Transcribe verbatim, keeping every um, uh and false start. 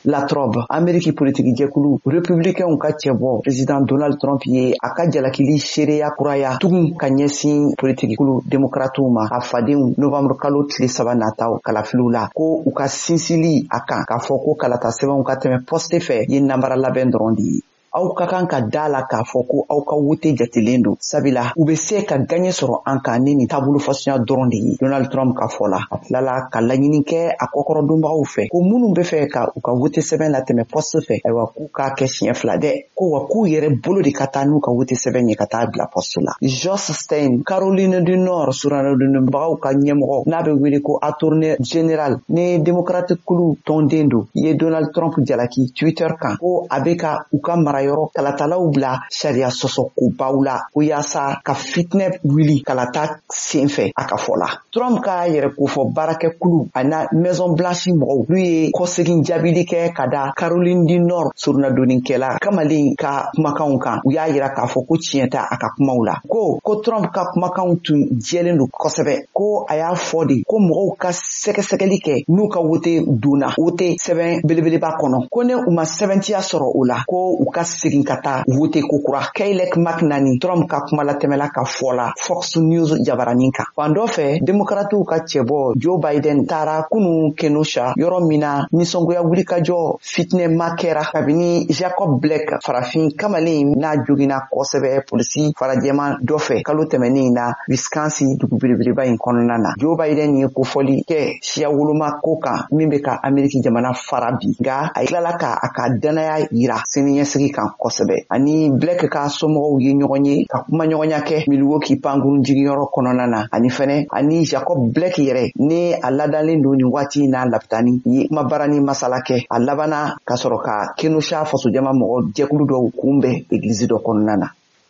Latrobe, Ameriki politiki jɛkulu Republicainw ka cɛbɔ président Donald Trump ye a ka jalakili seereya kuraya tugun ka ɲɛsin politiki kulu demokratiw ma, a fadenw, novembre kalo tile saba nataw kalafiliw la, ko u ka sinsili a kan k'a fɔ ko kalata sɛbɛnw ka tɛmɛ poste fɛ ye namara labɛn dɔrɔn de ye. Aw ka kan ka da la k'a fɔ ko aw ka wote jatelen don, sabula u bɛ se ka gaɲɛ sɔrɔ an kan ni nin taabolo fasuguya dɔrɔn de ye, Donald Trump ka fɔ la. A tilala ka laɲini kɛ a kɔkɔrɔdonbagaw fɛ ko minnu bɛ fɛ ka u ka wote sɛbɛn latɛmɛ poste fɛ, ayiwa, k'u k'a kɛ siɲɛ fila dɛ, ko wa k'u yɛrɛ bolo de ka taa n'u ka wote sɛbɛn ye ka taa bila poste la. Josh Stein, Caroline du Nord suranadonbagaw ka ɲɛmɔgɔ n'a bɛ wele ko attorney general ni démocrate kulu tɔnden don, ye Donald Trump jalaki Twitter kan ko a bɛ ka u ka mara yɔrɔ kalatalaw bila sariya sɔsɔ kobaw la, ko yaasa ka fitinɛ wuli kalata sen fɛ. A ka fɔ la, Trump ka yɛrɛ kofɔ baarakɛkulu ani Maison Blanche mɔgɔw, n'u ye kɔsegin jaabili kɛ ka da Caroline du Nord soronadonnikɛla kamalen ka kumakanw kan, u y'a yira k'a fɔ ko tiɲɛ tɛ a ka kumaw la, ko ko Trump ka kumakanw tun jɛlen don kosɛbɛ, ko a y'a fɔ de ko mɔgɔw ka sɛgɛsɛgɛli kɛ n'u ka wote donna wote sɛbɛn belebeleba kɔnɔ, ko ne u ma sɛbɛntiya sɔrɔ o la, ko u ka segin ka taa wote kokura. Kayleigh McEnany, Trump ka kumalatɛmɛla ka fɔ la Fox News jabaranin kan. Fan dɔ fɛ, demokratiw ka cɛbɔ Joe Biden taara kunu Kenosha, yɔrɔ min na nisɔngoya wulikajɔ fitinɛma kɛra kabini Jacob Blake, farafin kamalen n'a joginna kosɛbɛ polisi farajɛman dɔ fɛ kalo tɛmɛnen na Wisconsin dugu belebeleba in kɔnɔna na. Joe Biden ye kofɔli kɛ siya woloma ko kan min bɛ ka Ameriki jamana fara bi, nka a tilala ka a ka danaya yira siniɲɛsigi kan kosɛbɛ. Ani Blake ka somɔgɔw ye ɲɔgɔn ye ka kumaɲɔgɔnya kɛ Milwaukee pankurun jigiyɔrɔ kɔnɔna na, ani fɛnɛ ani Jacob Blake yɛrɛ ni a ladalen don nin waati in na lapitani ye kumabara ni masala kɛ. A labanna ka sɔrɔ ka Kenosha fasojama mɔgɔ jɛkulu dɔw kunbɛn egilizi dɔ kɔnɔna na.